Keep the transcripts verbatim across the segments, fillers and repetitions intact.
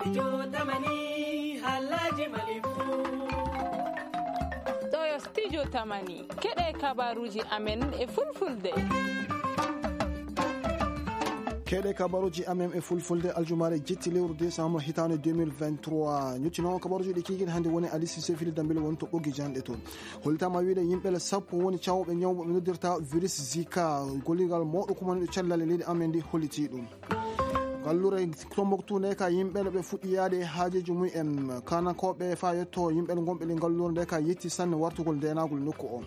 Studio Tamani, Halaji Malifu. Ɗo yo Studio Tamani. Keɗe kabaruji amen e fulfulde. Keɗe kabaruji amen e fulfulde, aljumaare jetti lewru décembre hitaande deux mille vingt-trois. Ñuccino kabaruji ɗi kiikiiɗe hannde woni Ali Cissé Fili Dambel woni to ɓoggi janɗe toon. Hollitaama wiide yimɓe le sappo woni cawɓe ñaw mo ɓe noddirta virus Zika. Gollirgal mawɗo kumaniiɗo cellal e leydi amen ndi holliti ɗum. Gallure Tombouctou nde ka yimɓe le ɓe fuɗɗi yaade e haajeji mum en. Kanakooɓe fa yetto yimɓe le gonɓe le gallure nde ka yetti sanne wartugol ndenagol nokku o.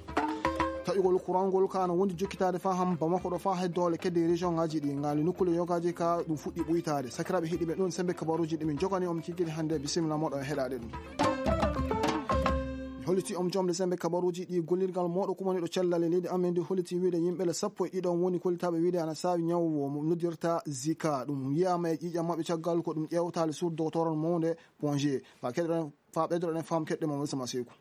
Taƴugol courant ngol ka no wondi jokkitaade fa ham Bamako ɗo fa hay doole kedde région ngaji ɗi ngali nokkule yogaji ka ɗum fuɗɗi ɓuytaade. Sakiraaɓe heɗiɓe ɗum sembe kabaruji ɗi min jogani on kiggiri hannde, bisimilla moɗon heɗaade ɗum. Holliti on jomde sembe kabaruji ɗi gollirgal moɗo kumani ɗo cellal e leydi amen ndi holliti wiide yimɓe le sappo e ɗiɗo on woni kollitaaɓe wiide ana saawi ñaw o mo noddirta Zika. Ɗum yiyaama e ƴiiƴam maɓɓe caggal ko ɗum ƴeewtaali sur doctoral mawnde Ponge. Fa keɗoɗen, fa ɓeydoɗen fam keɗɗe mo Moussa Maseku.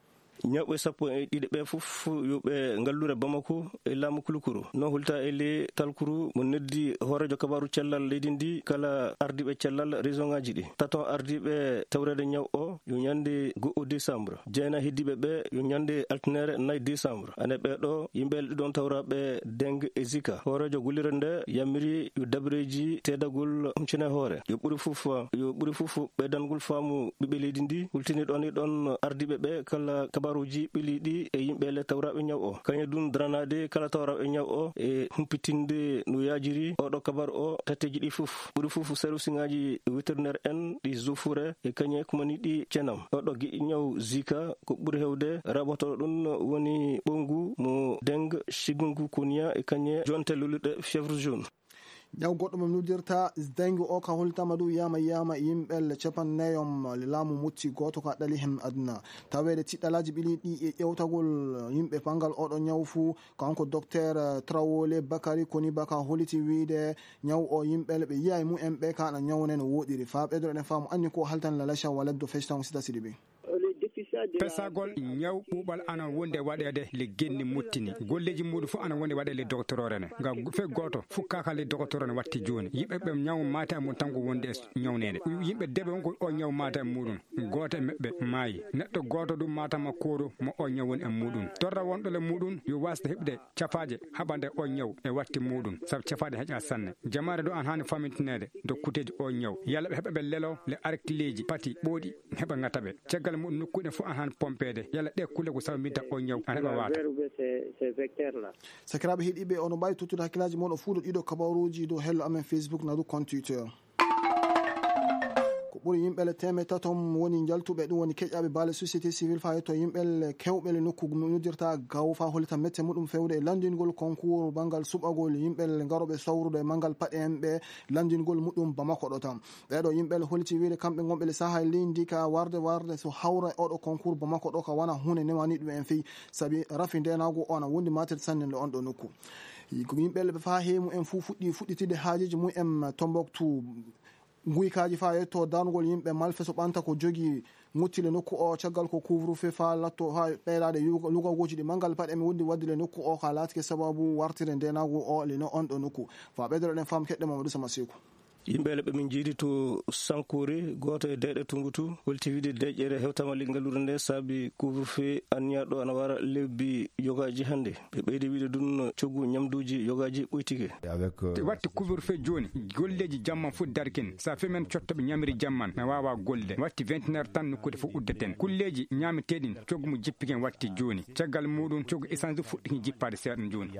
Ñawɓe sappo e ɗiɗo ɓe fof yo ɓe ngallure Bamako e laamu Kulukuru. No hulta e le Talkuru mo noddi hooreejo kabaaru cellal leydi ndi kala ardiiɓe cellal région ngaji ɗi. Taton ardiiɓe tawreede ñaw o yo ñande go'o décembre. Jeena heddiiɓe ɓe yo ñande altinere nayi décembre. Ane ɓe ɗo yimɓe ɗiɗon tawraɓe dengue e Zika. Hooreejo gullirde nde yamiri yo dabreji teedagol huncine hoore. Yo ɓuri fof, yo ɓuri fof ɓeydangol faamu ɓiɓɓe leydi ndi. Hultini ɗon e ɗon ardiiɓe ɓe kala kabaruji ɓiliɗi e yimɓe le tawraɓe ñaw o. Kañe ɗum daranaade kala tawraɓe ñaw o e humpitinde no yaajiri oɗo kabaru o tatteji ɗi fof. Ɓuri fof service ngaji vétérinaire en ɗi Zofure e kañe kumani ɗi cenam. Oɗo giƴi ñaw Zika ko ɓuri hewde raɓoto ɗum woni ɓongu mo dengue, chikungunya e kañe jonte luluɗe fièvre jaune. Ñaw goɗɗo mo noddirta dengue o ka holtama ɗum yama yama yimɓe le capannayi on le laamu mutti goto ka ɗali hen aduna. Taweede tiɗɗalaji ɓili ɗi e ƴewtagol yimɓe pangal oɗo ñaw fuu, kanko docteur Trawole Bakari Koni Baka holliti wiide ñaw o yimɓe le ɓe yiya e mumen ɓe ka ana ñawne no woɗiri. Fa ɓeydoro ɗen faamu anni ko haltan la lacha waladdo festan sita siɗi ɓe. Pesagol ñaw ɓuuɓal ana wonde waɗeede le genni muttini. Golleeji muɗum fof ana wonde waɗeede le dogotoroore ne. Ngam fe gooto fukkaka le dogotoroore ne watti jooni. Yimɓe ɓe ñaw maate amum tan ko wonde e ñawnede. Yimɓe debe on ko o ñaw maate e muɗum. Gooto e maɓɓe maayi. Neɗɗo gooto ɗum maatama kooru mo o ñaw woni e muɗum. Torra wonɗo le muɗum yo wasde heɓde cafaaje haɓande o ñaw e watti muɗum. Sabu cafaaje heƴa sanne. Jamaare ɗo an haani famintineede dokkuteeji o ñaw. Yalla ɓe heɓa ɓe lelo le arkileeji pati ɓooɗi heɓa ŋata ɓe. Caggal muɗum nokkuɗe fof an haani pompeede. Yalla ɗe kulle ko sababu mbinta o ñaw an heɓa waata. Sakiraaɓe heɗiiɓe, ono mbaawi tottude hakkillaaji mon o fuuɗo ɗiɗo kabaruuji dow hello amen Facebook na du compte Twitter. Ko ɓuri yimɓe le teemeɗɗe tato woni njaltuɓe, ɗum woni keƴaaɓe baale société civile faa yetto yimɓe le kewɓe le nokku noddirta gaw faa hollita mette muɗum fewde e lanndingol concours banngal suɓagol yimɓe le ngarooɓe sawrude manngal paɗe en ɓe lanndingol muɗum Bamako ɗo tan. Ɓeeɗo yimɓe le holliti wiide kamɓe ngonɓe le sahaa e leydi ka warde warde so hawra e oɗo concours Bamako ɗo ka wana huunde newani ɗum en fii sabi rafi ndenaagu o ana wondi matet sanne le on ɗo nokku. Ko yimɓe le ɓe faa heemu en fuu fuɗɗi fuɗɗitide haajeji mum en Tombouctou. Nguykaaji faa yetto darnugol yimɓe malfeso ɓanta ko jogii muttile nokku o caggal ko couvre feu faa latto faa ɓeydaade lugagooji ɗi manngal paɗe mi wondi waɗde le nokku o ka laatike sababu wartire ndenaagu o le no on ɗo nokku. Faa ɓeydoro ɗen fam keɗɗe Mamadou Sama Seeku. Yimɓe le ɓe min njiidi to Sankore, gooto e deeƴe Tumbouctou, holti wiide deeƴere hewtama le ngalluure nde saabi couvre feu anniyaɗo ana wara lebbi yogaaji hannde. Ɓe ɓeydi wiide ɗum coggu ñamduuji yogaaji ɓoytike. Watti couvre feu jooni, golleeji jamma fof darkin. Sa femen cottoɓe ñamri jamman na waawa golde. Watti vingt heures tan nokkude fof uddeten. Kulleeji ñaameteeɗin coggu mo jippiken watti jooni. Caggal muɗum coggu essence fuɗɗikin jippaade seeɗan jooni.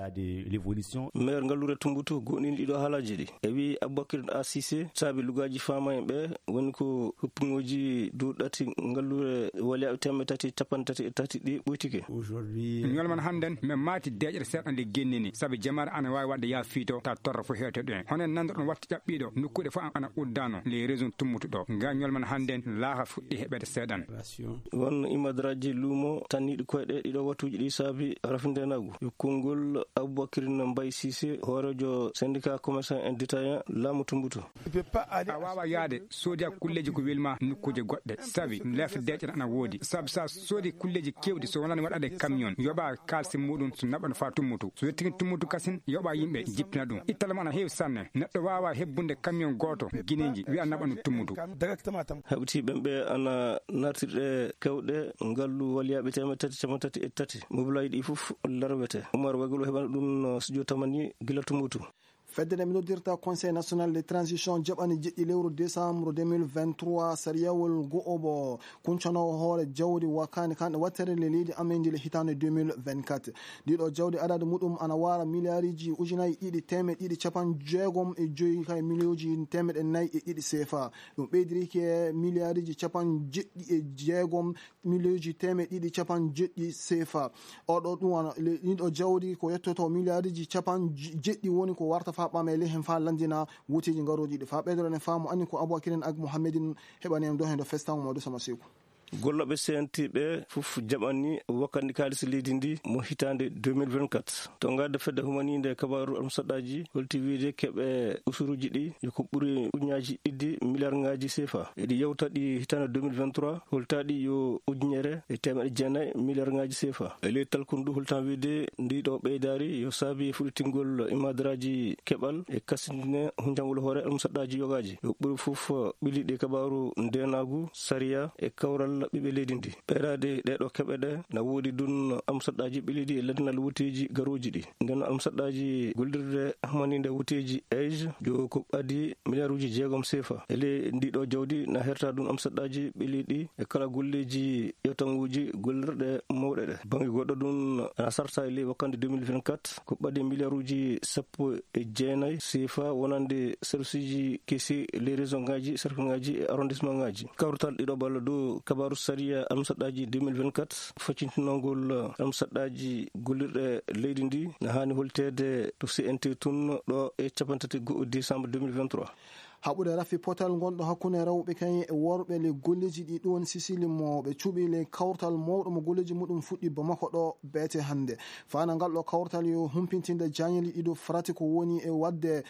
Maire ngalluure Tumbouctou goɗɗin ɗiɗo haalaaji ɗi. E wi Aboubacar A Cissé, saabi lugaaji faama en ɓe woni ko huppugooji duuɗi ɗati ngalluure waliyaaɓe teemeɗɗe tati capanɗe tati e tati ɗi ɓoytike. Ñolman hannden, men maati deeƴere seeɗa nde gennini, sabi jamaare ana waawi waɗde yaa fiito, ta torra fof heewte ɗo en. Hono en nanndorɗon watti ƴaɓɓiiɗo, nokkuuɗe fof ana uddano, les régions tummutu ɗo. Nga ñolman hannden, laaha fuɗɗi heɓeede seeɗan. Won imadraji luumo tanniiɗi koyɗe ɗiɗo wattuuji ɗi saabi rafindeenaagu. Yo konngol Aboubacrine Mbaye Cissé, hooreejo syndicat commerçant et détaillant laamu Tumbouctou. A waawaa yahde soodi a kulleeji ko welma nokkuuje goɗɗe, sabi lef deeƴere ana woodi. Sabi so a soodi kulleeji keewɗi, so wonani waɗaade camion, yoɓa kaalisi muɗum, so naɓa no faa tummutu. So yettikin tummutu kasin, yoɓa yimɓe jippina ɗum. Ittale mo ana heewi sanne. Neɗɗo waawaa hebbunde camion gooto Gineeji, wiya naɓa no tummutu. Haɓti ɓen ɓe ana nartirɗe kewɗe ngallu waliyaaɓe teemeɗɗe tati capanɗe tati e tati. Mobilaaji ɗi fof larwete. Umar Wagilo heɓana ɗum no studio tamani gila tummutu. Fedde nde mi noddirta Conseil National de Transition jaɓani jeɗɗi lewru décembre deux mille vingt-trois sariyawol go'obo kuncanoowo hoore jawdi wakani kanɗe wattere le leydi amen ndi le hitaande deux mille vingt-quatre. Ndiɗo jawdi adadu muɗum ana wara miliyariji ujunaji ɗiɗi teemeɗɗe ɗiɗi capanɗe jeegom e joyi kay miliyoji teemeɗɗe nayi e ɗiɗi sefa. Ɗum ɓeydiri ke miliyariji capanɗe jeɗɗi e jeegom miliyoji teemeɗɗe ɗiɗi capanɗe jeɗɗi sefa. Oɗo ɗum wano le- ɗiɗo jawdi ko yettoto miliyariji capanɗe jeɗɗi woni ko warta fa ɓamele hen fa landina wuteji ngaroji ɗi fa ɓeydorene faamu anni ko aboubakirin ak mouhammedin. Heɓani en ɗo hen ɗo festango mawɗo sama seku. Gollooɓe C N T ɓe fof jaɓani wakkandi kaalisi leydi ndi mo hitaande deux mille vingt-quatre. To ngadde fedde humaninde kabaaru almusaɗɗaaji holti wiide keɓe usuruji ɗi yo ko ɓuri ujunnaaji ɗiɗi miliyarŋaaji sefa. Eɗi yewta ɗi hitaande deux mille vingt-trois, holtaaɗi yo ujunere e teemeɗɗe jeenayi miliyarŋaaji sefa. E ley talkundu holtan wiide ndiɗo ɓeydaari yo saabi fuɗɗitingol imadaraaji keɓal e kasindine hunjangol hoore almusaɗɗaaji yogaaji. Yo ɓuri fof ɓili ɗi kabaaru ndeenaagu, sariya e kawral ɓiɓɓe leydi ndi. Ɓeydaade ɗeɗo keɓe ɗe na woodi ɗum almusaɗɗaaji ɓiliɗi e lannal wuteeji garooji ɗi. Nden almusaɗɗaaji gollirde hamaninde wuteeji age jo ko ɓadi miliyaruuji jeegom sefa. E ley ndiɗo jawdi na herta ɗum almusaɗɗaaji ɓiliɗi e kala golleeji ƴewtanguuji gollirɗe mawɗe ɗe. Bannge goɗɗo ɗum ana sarta e ley wakkande deux mille vingt-quatre ko ɓadi miliyaruuji sappo e jeenayi sefa wonande serviceji kesi ley région ngaji, cercle ngaji e arrondissement ngaji. Kawrital ɗiɗo balla dow kabaaru sariya almusaɗɗaaji deux mille vingt-quatre, faccintinongol almusaɗɗaaji gollirɗe leydi ndi na haani holteede to C N T tun ɗo e capanɗe tati go'o décembre deux mille vingt-trois. Haɓude rafi potal ngonɗo hakkunde rewɓe kañum e worɓe le golleji ɗi ɗon Sisili mo ɓe cuɓi le kawtal mawɗo mo golleji muɗum fuɗɗi Bamako ɗo beete hannde. Fana ngal ɗo kawtal yo humpintinde jañeli ɗiɗo farati ko woni e wadde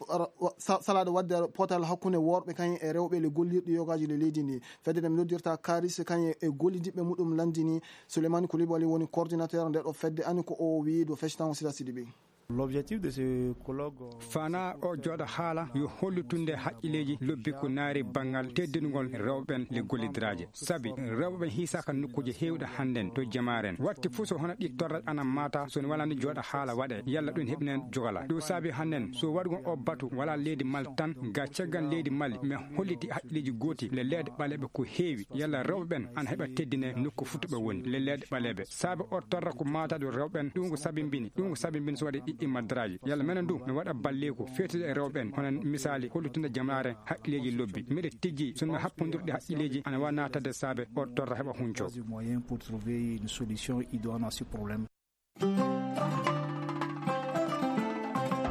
ra- wa- sa- salaade waɗde potal hakkunde worɓe kañum e rewɓe le gollirɗi yogaaji le leydi ndi. Fedde nde mi noddirta Karis kañum e gollidiɓɓe muɗum lanndini. Souleymane Koulibaly woni coordinateur nde ɗo fedde ani ko o wiyi ɗo feccitango sita sidi ɓi. L'objectif de ce colloque, euh, fana o jooɗa haala yo hollitunde haqqilleeji lobbi ko naari banngal teddinugol rewɓen le gollidiraaje. Sabi rewɓe ɓen hiisaaka nokkuuje heewɗe hannden to jamaaren. Watti fof so hono ɗi torra ana maata, so ne walani jooɗa haala waɗe, yalla ɗum heɓinen jogala. Ɗum saabi hannden so waɗugol o batu wala leydi Mali tan, ga caggal leydi Mali, mi holliti haqqilleeji gooti le leeɗe ɓaleeɓe ko heewi, yalla rewɓe ɓen ana heɓa teddine nokku fof to ɓe woni, le leeɗe ɓaleeɓe. Saabi o torra ko maataɗo rewɓe ɓen, ɗum ko sabimbini, ɗum ko sabimbini so waɗi ɗiɗɗi madraji. Yalla menen du, mi waɗa balleeku feetude e rewɓe ɓen, hono misaali hollutunde jamaare haqqilleeji lobbi. Miɗa tijji, so mi happondirɗe haqqilleeji ana wa naatade saabe o torra heɓa hunco. Du moyen pour trouver une solution idoine à ce problème.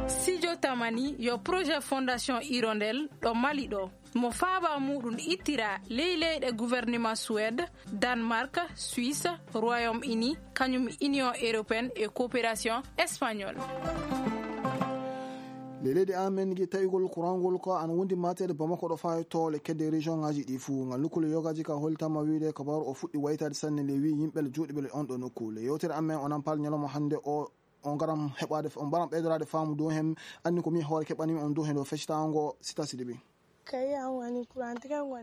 Studio Tamani yo projet Fondation Hirondelle ɗo Mali ɗo. Mo faaba muɗum ittira ley leyɗe gouvernement Suède, Danemark, Suisse, Royaume-Uni, kañum Union Européenne e coopération espagnole. Nde leydi amen gi taƴugol kurangol ko ana wondi mateede Bamako ɗo faawi to le kedde région ngaji ɗi fuu. Ngal lukkule yogaji ka holtama wiide kabaaru o fuɗɗi waytaade sanne le wi yimɓe le juuɗiɓe le on ɗo nokku. Le yewtere amen onan pal ñalawma hannde o, on ngaram heɓaade, on mbaram ɓeydoraade faamu dow hen. Anni ko mi hoore keɓanimi on dow hen ɗo feccitango sita sidi ɓi.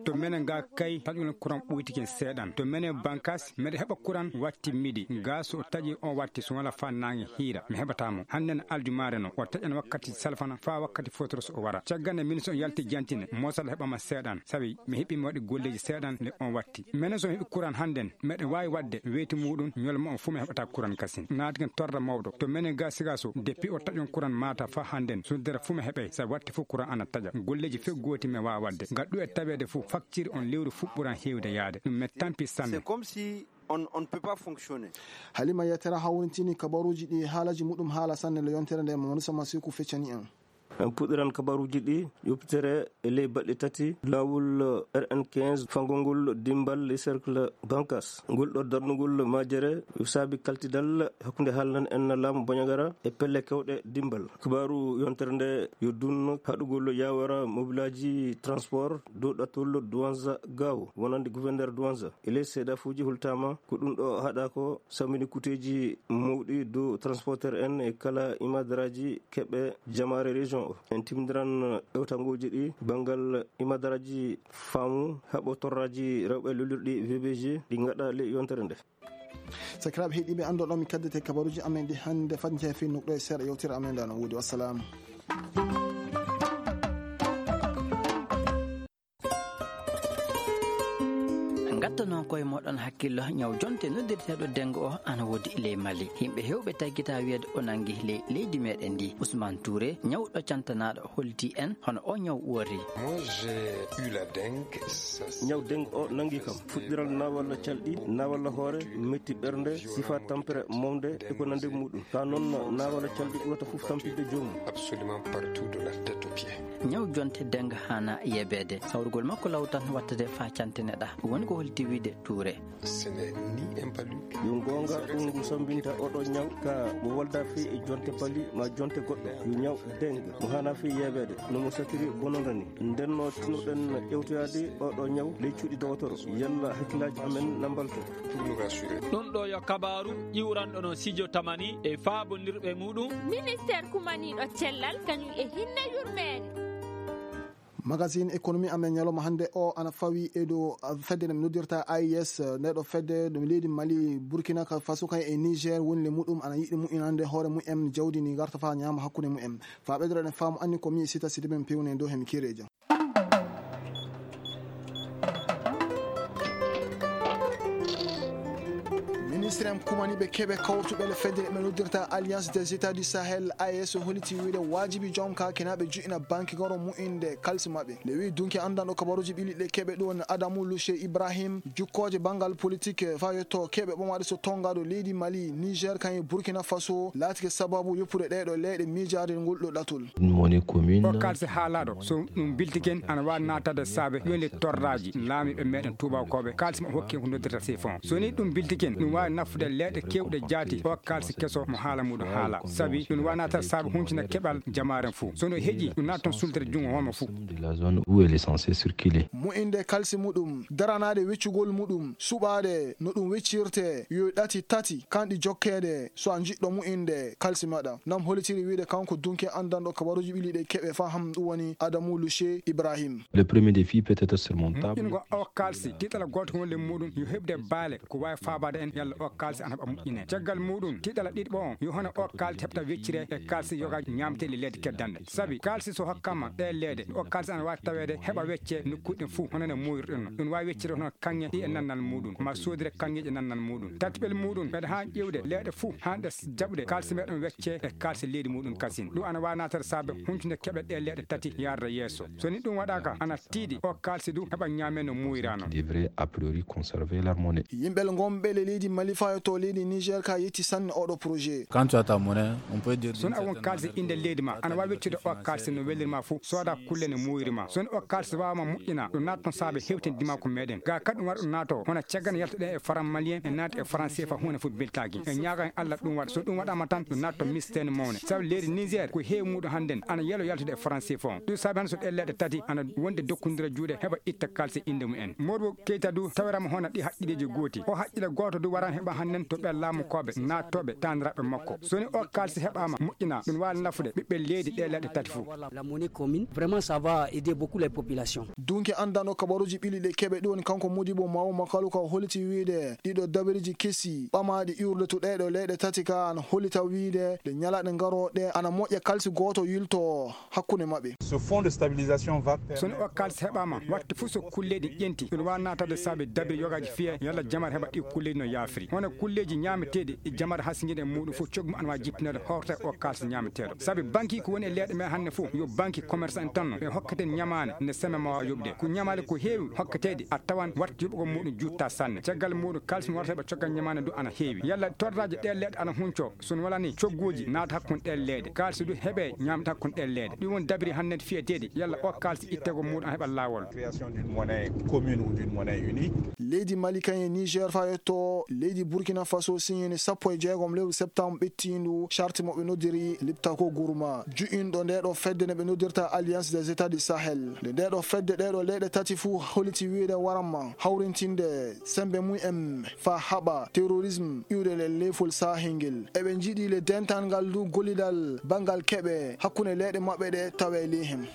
To menen ga kay taƴulen kuran ɓoytiken seeɗan. To menen bankas meɗa heɓa kuran watti midi. Ga so o taƴi on watti so wala fa nange hiira mi heɓata mo. Hannden aljumaare no o taƴan wakkati salfana fa wakkati fotoro so o wara. Caggal nde min so on yalti jantine mosal heɓama seeɗan. Sabi mi heɓi mi waɗi golleji seeɗan nde on watti. Menen so mi heɓi kuran hannden meɗa waawi waɗde weyti muɗum ñolma on fu mi heɓata kuran kasin. Naatiken torra mawɗo. To menen ga siga so depuis o taƴon kuran mata fa hannden so dere fu mi heɓay. Sabi watti fu kuran ana taƴa. Golleji fe gooti mi waawa waɗde. Ngal ɗu e taweede fu facciri on lewru fu ɓuran heewde yaade. Ɗum mi tampi sanne. C'est comme si on, on ne peut pas fonctionner. Halima Yatara hawrintini kabaruji ɗi haalaji muɗum haala sanne le yontere nde Mamadou Samasiku feccani en. En puɗɗiran kabaruuji ɗi yoppitere e ley baɗɗe tati laawol R N quinze fangol ngol dimbal e cercle Bankas. Ngol ɗo darnugol majere yo saabi kaltidal hakkunde haalnan en laamu Bandiagara e pelle kewɗe dimbal. Kabaaru yontere nde yo dunno haɗugol yawara mobilaaji transport dow ɗattol Douentza Gao wonande gouverneur Douentza. E ley seedafuuji hultaama ko ɗum ɗo haɗa ko sammini kuteeji mawɗi dow transporteur en e kala imadaraaji keɓe jamaare région o. En timdiran ƴewtangooji ɗi banngal imadaraaji faamu haɓo torraaji rewɓe lolirɗi V B G ɗi ngaɗa ley yontere nde. Sakiraaɓe heɗiiɓe, anndo ɗo mi kaddete kabaruuji amen ɗi hannde fadnte fi nokɗo e seeɗa yewtere amen nde no woodi. Wassalaamu. Ngatto noon koye moɗon hakkillo ñaw jonte noddirteeɗo dengue o ana woodi ley Mali. Yimɓe hewɓe taggita wiyeede o nangi ley leydi meɗen ndi. Ousmane Touré, ñawɗo cantanaɗo, holti en hono o ñaw wori. Moi, j'ai eu la dengue. Ñaw dengue o nangi kam. Fuɗɗiral nawalla calɗi, nawalla hoore, metti ɓernde, sifa tampere mawde e ko nande muɗum. Ka noon nawalla calɗi ɓurata fof tampinde joomum. Absolument partout de la tête aux pieds. Ñaw jonte dengue hana yebeede. Sawrugol makko law tan wattade fa canteneɗa. Woni ko holti wiide Touré. Ce n'est ni un palu. Yo goonga ɗum ngu sambinta oɗo ñaw ka mo walda fii e jonte pali ma jonte goɗɗo. Yo ñaw dengue mo hana fii yebeede no mo satiri bononda ni. Ndenno tinoɗen ƴewtoyaade oɗo ñaw ley cuuɗi dowotoro. Yalla hakkillaaji amen na mbalto. Pour nous rassurer. Ɗum ɗo yo kabaaru ƴiwranɗo no Sijo Tamani e faabondirɓe muɗum. Ministeer kumaniiɗo cellal kañum e hinne yurmeende. Magazine économie amen ñalawma hannde o ana fawi e dow fedde nde noddirta A E S. Nde ɗo fedde ɗum leydi Mali, Burkina Faso kay e Niger woni le muɗum ana yiɗi mu'inande hoore mu'en jawdi ndi garta fa ñaama hakkunde mu'en. Fa ɓeydoɗen e faamu anni ko mi sita sidi men pewne dow hemi kireja. Ministre en kumaniɓe keɓe kawrutuɓe le fedde ɓe noddirta Alliance des États du Sahel, A E S, holiti wiide waajibi joom kakinaaɓe juɗɗina banque goro mu'inde kalsi maɓɓe. Le wi dunki anndanɗo kabaruji ɓiliɗe keɓe ɗum woni Adamu Lushe Ibrahim, jukkooje banngal politique fa yetto keɓe ɓomaɗe so tongaɗo leydi Mali, Niger, kañum e Burkina Faso, laatike sababu yoppude ɗeɗo leyɗe miijaade ngol ɗo ɗatol. Ɗum woni commune. O kalsi haalaɗo, so ɗum biltiken ana waawi naatade saabe yonde torraji laamiɓe meɗen tubakoɓe, kalsi mo hokke ko noddirta sifon. So ni ɗum biltiken, ɗum waawi nafude leyɗe kewɗe jaati, o kalsi keso mo haala muɗum haala. Sabi ɗum waawi naatade saabe huncina keɓal jamaaren fuu. So no heƴi, ɗum naata toon sultere junngo homo fuu. De la zone où elle est censée circuler. Mo'inde kalsi muɗum, daranaade weccugol muɗum, suɓaade no ɗum weccirte, yo ɗati tati, kanɗi jokkeede, so a jiɗɗo mo'inde kalsi maɗa. Nam holitiri wiide kanko dunke anndanɗo kabaruji ɓiliɗe keɓe faham ɗum woni Adamu Lushe Ibrahim. Le premier défi peut être surmontable. Moƴƴingol o kalsi, tiiɗal gooto wonde muɗum, yo heɓde baale, ko waawi faabaade en yalla o kalsi ana heɓa moƴƴine. Caggal muɗum, tiiɗal ɗiɗɓo on, yo hono o kalsi heɓta weccire e kalsi yoga ñaamteeli leydi keddanɗe. Sabi kalsi so hokkama ɗe leyɗe, o kalsi ana waawi taweede heɓa wecce nokkuuji ɗin fuu, hono no moyruɗen no. Ɗum waawi weccire hono kaŋŋe ɗi e nannal muɗum, ma soodire kaŋŋeeji e nannal muɗum. Tatiɓel muɗum, meɗa haa ƴeewde leyɗe fuu, haa ɗe jaɓude kalsi meɗen wecce e kalsi leydi muɗum kasin. Ɗum ana waawi naatade saabe huntude keɓe ɗe leyɗe tati yarda yeeso. So ni ɗum waɗaaka, ana tiiɗi o kalsi du heɓa ñaame no muuyra non. Devrait a priori conserver leur monnaie. Yimɓe gonɓe le leydi Mali fayo to leydi Niger ka yetti sanne oɗo projet. Quand tu as ta monnaie, on peut dire. Sono a won kalsi inde leydi ma, ana waawi weccude o kalsi no welirma fuu, sooda kulle ne muuyri ma. Sono o kalsi waawama moƴƴina, ɗum naata toon saabe hewten dimaku meɗen. Ga kadi ɗum waɗa ɗum naato, hono caggal yaltuɗen e faran malien, e naati e faran sefa huunde fof beltaaki. E ñaaga en Allah ɗum waɗa. So ɗum waɗama tan, ɗum naata to mistene mawne. Sabu leydi Niger, ko heewi muɗum hannden, ana yelo yaltude e faran sefa on. Ɗum saabi hannde so ɗe leyɗe tati, ana wonde dokkondira juuɗe, heɓa itta kalsi inde mumen. Modibo Keita du, tawirama hono ɗi haqqilleji gooti. O haqqille gooto du warani heɓa hannden to ɓe laamukoɓe, naattoɓe, taaniraɓe makko. So ni o kalsi heɓama moƴƴina, ɗum waawi nafude ɓiɓɓe leydi ɗe leyɗe tati fof. La monnaie commune, vraiment, ça va aider beaucoup les populations. Dunke anndano kabaruji ɓili ɗe keɓe ɗum woni kanko Modibo Mawo Makalu ka holiti wiide ɗiɗo dabiriji kesi ɓamaɗi iwrude to ɗeɗo leyɗe tati ka ana holita wiide ɗe ñalaɗe garoɗe ana moƴƴa kalsi gooto yilto hakkunde maɓɓe. Ce fonds de stabilisation va permettre. So ni o kalsi heɓama, watte fof so kulleɗi ƴenti, ɗum waawi naatade saabe dabiri yogaji fiye yalla jamar heɓa ɗi kulleɗi no yaafiri. Kulleeji ñaameteeɗi e jamar hasinjiiɗe e muuɗum fof, coggu mum ana waawi jippinede hoorta o kaalis ñaameteeɗo. Sabi banki ko woni e leyɗe men hannde fof, yo banki commerçant en tan no. Ɓe hokketen ñamaande nde semaine ma waawa yoɓde. Ko ñamaale ko heewi hokketeeɗe, a tawan waɗta yoɓugol muuɗum juutta sanne. Caggal muuɗum, kaalis mo warata ɓe coggal ñamaande ndu ana heewi. Yalla torraaji ɗee leyɗe ana huncoo? So no wala ni, cogguuji naata hakkunde ɗee leyɗe. Kaalis ndu heɓe ñaamata hakkunde ɗee leyɗe. Ɗum woni dabiri hannde fiyeteeɗi. Yalla o kaalis ittegol muuɗum ana heɓa laawol. Création d'une monnaie commune ou d'une monnaie unique. Leydi Mali kañum e Niger faa yetto leydi Burkina Faso siñini sappo e jeegom lewru septembre ɓettiindu charte mo ɓe noddiri Liptako Gourma, ju'inɗo nde ɗo fedde nde ɓe noddirta Alliance des États du Sahel. Nde nde ɗo fedde ɗee ɗo leyɗe tati fuu holiti wiide waramma hawrintinde sembe mum en faa haɓa terrorisme iwde le leyfol sahel ngel. Eɓe njiɗi le dental ngal ndu gollidal banngal keɓe hakkunde leyɗe maɓɓe ɗe tawe ley heen.